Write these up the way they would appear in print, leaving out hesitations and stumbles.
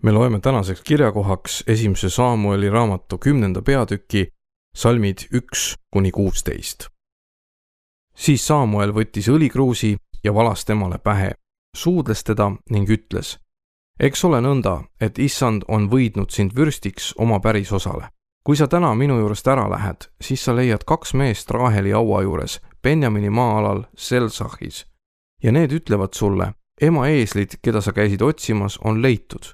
Me loeme tänaseks kirjakohaks 1. Saamueli raamatu 10. peatüki salmid 1-16. Siis Saamuel võttis õlikruusi ja valas temale pähe, suudles teda ning ütles: eks ole nõnda, et issand on võidnud sind vürstiks oma pärisosale. Kui sa täna minu juurest ära lähed, siis sa leiad 2 meest Raheli haua juures Benjamini maa-alal Selsahis. Ja need ütlevad sulle: ema eeslid, keda sa käisid otsimas, on leitud.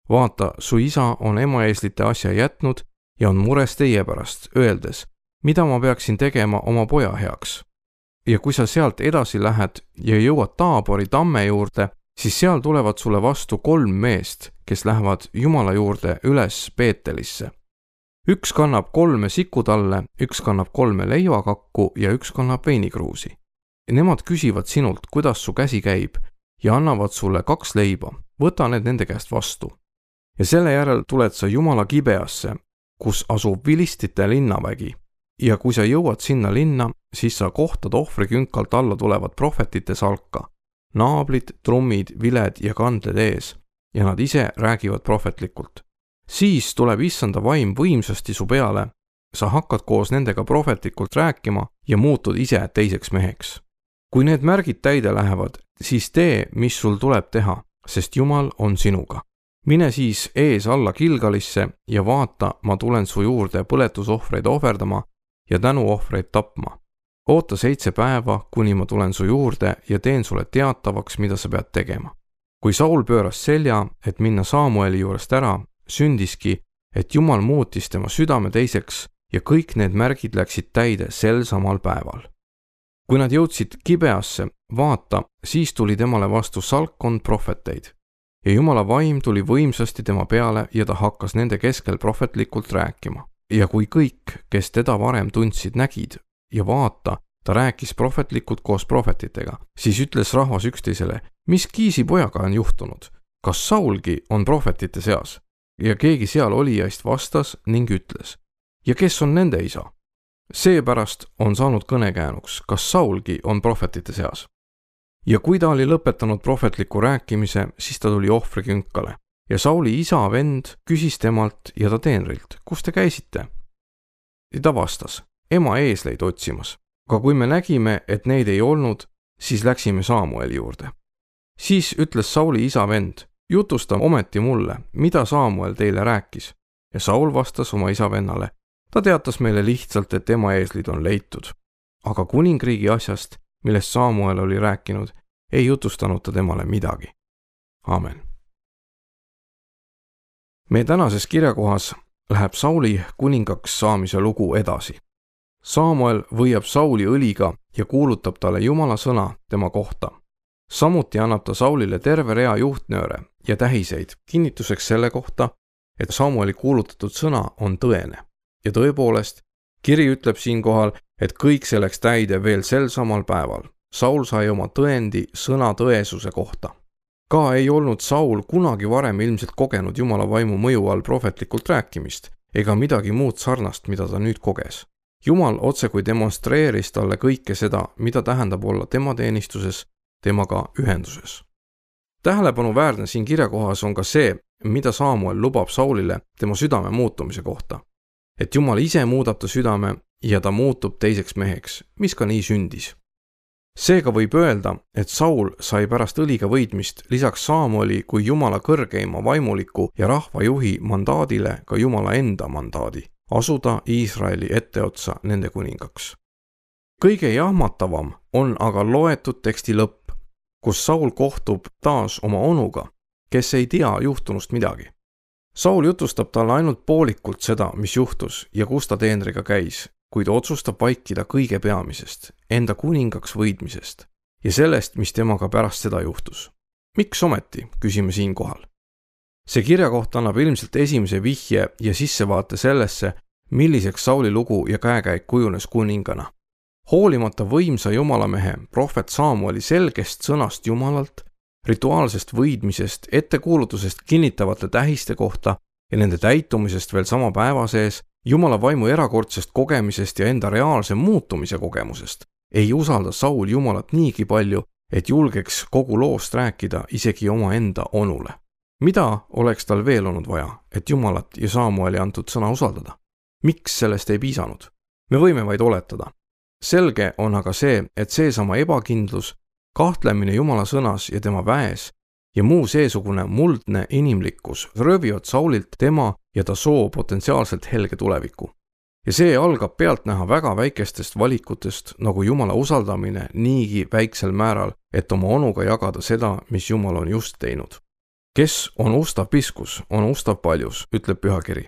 Vaata, su isa on ema eeslite asja jätnud ja on mures teie pärast, öeldes: mida ma peaksin tegema oma poja heaks? Ja kui sa sealt edasi lähed ja jõuad Taabori tamme juurde, siis seal tulevad sulle vastu 3 meest, kes lähevad Jumala juurde üles Beetelisse. Üks kannab 3 sikutalle, üks kannab 3 leivakakku ja üks kannab veinikruusi. Nemad küsivad sinult, kuidas su käsi käib, ja annavad sulle 2 leiba. Võta need nende käest vastu. Ja selle järel tuled sa Jumala Gibeasse, kus asub vilistite linnavägi. Ja kui sa jõuad sinna linna, siis sa kohtad ohvrikünkalt alla tulevad prohvetite salka. Naablid, trummid, viled ja kandled ees, ja nad ise räägivad prohvetlikult. Siis tuleb issanda vaim võimsasti su peale. Sa hakkad koos nendega prohvetlikult rääkima ja muutud ise teiseks meheks. Kui need märgid täide lähevad, siis tee, mis sul tuleb teha, sest Jumal on sinuga. Mine siis ees alla Gilgalisse ja vaata, ma tulen su juurde põletusohvreid ohverdama ja tänuohvreid tapma. Oota 7 päeva, kuni ma tulen su juurde ja teen sulle teatavaks, mida sa pead tegema. Kui Saul pööras selja, et minna Saamueli juurest ära, sündiski, et Jumal muutis tema südame teiseks ja kõik need märgid läksid täide sel samal päeval. Kui nad jõudsid Gibeasse, vaata, siis tuli temale vastu salkkond prohveteid. Ja Jumala vaim tuli võimsasti tema peale ja ta hakkas nende keskel prohvetlikult rääkima. Ja kui kõik, kes teda varem tundsid, nägid ja vaata, ta rääkis prohvetlikult koos prohvetitega, siis ütles rahvas üksteisele: mis Kiisi pojaga on juhtunud? Kas Saulgi on prohvetite seas? Ja keegi seal olijaist vastas ning ütles: ja kes on nende isa? Seepärast on saanud kõnekäänuks, kas Saulgi on prohvetite seas. Ja kui ta oli lõpetanud prohvetliku rääkimise, siis ta tuli ohvrikünkale. Ja Sauli isa vend küsis temalt ja ta teenrilt: kus te käisite? Ja ta vastas: ema eesleid otsimas. Aga kui me nägime, et neid ei olnud, siis läksime Saamueli juurde. Siis ütles Sauli isa vend: jutusta ometi mulle, mida Saamuel teile rääkis. Ja Saul vastas oma isa vennale: ta teatas meile lihtsalt, et ema eeslid on leitud. Aga kuningriigi asjast, millest Saamuel oli rääkinud, ei jutustanud ta temale midagi. Aamen. Meie tänases kirjakohas läheb Sauli kuningaks saamise lugu edasi. Saamuel võiab Sauli õliga ja kuulutab talle Jumala sõna tema kohta. Samuti annab ta Saulile terve rea juhtnööre ja tähiseid kinnituseks selle kohta, et Saamueli kuulutatud sõna on tõene. Ja tõepoolest, kiri ütleb siinkohal, et kõik see läks täide veel sel samal päeval. Saul sai oma tõendi sõna tõesuse kohta. Ka ei olnud Saul kunagi varem ilmselt kogenud Jumala vaimu mõju all prohvetlikult rääkimist ega midagi muud sarnast, mida ta nüüd koges. Jumal otsekui demonstreeris talle kõike seda, mida tähendab olla tema teenistuses, temaga ühenduses. Tähelepanuväärne siin kirjakohas on ka see, mida Saamuel lubab Saulile tema südame muutumise kohta. Et Jumal ise muudab ta südame ja ta muutub teiseks meheks, mis ka nii sündis. Seega võib öelda, et Saul sai pärast õliga võitmist lisaks Saamueli kui Jumala kõrgeima vaimuliku ja rahvajuhi mandaadile ka Jumala enda mandaadi, asuda Iisraeli etteotsa nende kuningaks. Kõige jahmatavam on aga loetud teksti lõpp, kus Saul kohtub taas oma onuga, kes ei tea juhtunust midagi. Saul jutustab talle ainult poolikult seda, mis juhtus ja kus ta teenriga käis, kuid otsustab vaikida kõige peamisest, enda kuningaks võidmisest ja sellest, mis temaga pärast seda juhtus. Miks ometi, küsime siinkohal. See kirjakoht annab ilmselt esimese vihje ja sissevaate sellesse, milliseks Sauli lugu ja käekäik kujunes kuningana. Hoolimata võimsa jumalamehe prohvet Saamueli selgest sõnast Jumalalt, rituaalsest võidmisest, ettekuulutusest kinnitavate tähiste kohta ja nende täitumisest veel sama päeva sees, Jumala vaimu erakordsest kogemisest ja enda reaalse muutumise kogemusest, ei usalda Saul Jumalat niigi palju, et julgeks kogu loost rääkida isegi oma enda onule. Mida oleks tal veel olnud vaja, et Jumalat ja Saamueli antud sõna usaldada? Miks sellest ei piisanud? Me võime vaid oletada. Selge on aga see, et seesama ebakindlus, kahtlemine Jumala sõnas ja tema väes ja muu seesugune muldne inimlikkus röövivad Saulilt tema ja ta soo potentsiaalselt helge tuleviku. Ja see algab pealtnäha väga väikestest valikutest, nagu Jumala usaldamine niigi väiksel määral, et oma onuga jagada seda, mis Jumal on just teinud. Kes on ustav piskus, on ustav paljus, ütleb pühakiri.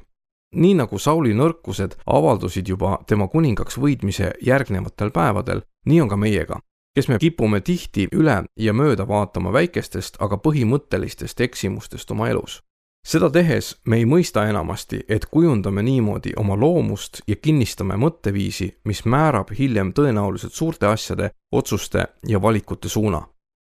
Nii nagu Sauli nõrkused avaldusid juba tema kuningaks võidmise järgnevatel päevadel, nii on ka meiega, kes me kipume tihti üle ja mööda vaatama väikestest, aga põhimõttelistest eksimustest oma elus. Seda tehes me ei mõista enamasti, et kujundame niimoodi oma loomust ja kinnistame mõtteviisi, mis määrab hiljem tõenäoliselt suurte asjade, otsuste ja valikute suuna.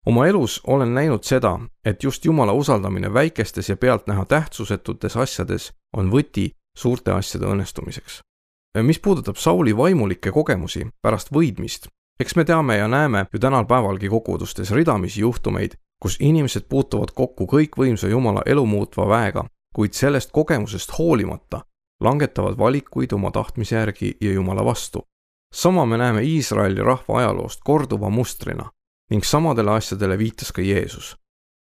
Oma elus olen näinud seda, et just Jumala usaldamine väikestes ja pealtnäha tähtsusetutes asjades on võti suurte asjade õnnestumiseks. Mis puudutab Sauli vaimulikke kogemusi pärast võidmist, eks me teame ja näeme ju tänal päevalgi kokkuvõtustes ridamisi juhtumeid, kus inimesed puutuvad kokku kõikvõimsa Jumala elu muutva väega, kuid sellest kogemusest hoolimata langetavad valikuid oma tahtmise järgi ja Jumala vastu. Sama me näeme Iisraeli rahva ajaloost korduva mustrina ning samadele asjadele viitas ka Jeesus.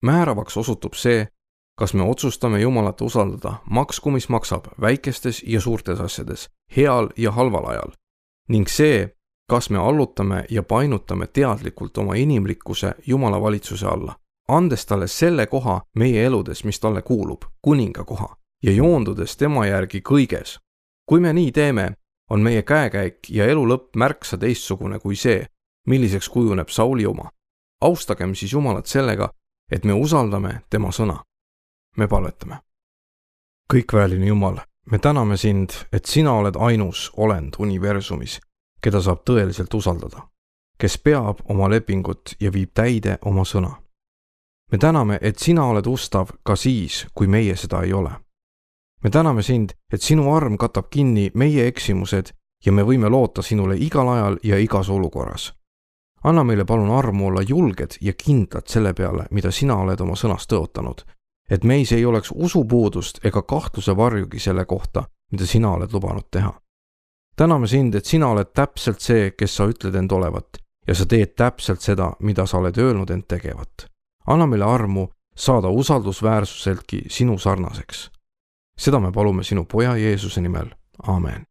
Määravaks osutub see, kas me otsustame Jumalat usaldada, maksku mis maksab, väikestes ja suurtes asjades, heal ja halval ajal. Ning see, kas me allutame ja painutame teadlikult oma inimlikkuse Jumala valitsuse alla, andes talle selle koha meie eludes, mis talle kuulub, kuninga koha, ja joondudes tema järgi kõiges. Kui me nii teeme, on meie käekäik ja elu lõpp märksa teistsugune kui see, milliseks kujuneb Sauli oma. Austagem siis Jumalat sellega, et me usaldame tema sõna. Me palvetame. Kõikväeline Jumal, me täname sind, et sina oled ainus olend universumis, keda saab tõeliselt usaldada, kes peab oma lepingut ja viib täide oma sõna. Me täname, et sina oled ustav ka siis, kui meie seda ei ole. Me täname sind, et sinu arm katab kinni meie eksimused ja me võime loota sinule igal ajal ja igas olukorras. Anna meile palun armu olla julged ja kindlad selle peale, mida sina oled oma sõnas tõotanud, et meis ei oleks usupuudust ega kahtluse varjugi selle kohta, mida sina oled lubanud teha. Täname sind, et sina oled täpselt see, kes sa ütled end olevat ja sa teed täpselt seda, mida sa oled öelnud end tegevat. Anna meile armu saada usaldusväärsuseltki sinu sarnaseks. Seda me palume sinu poja Jeesuse nimel. Aamen.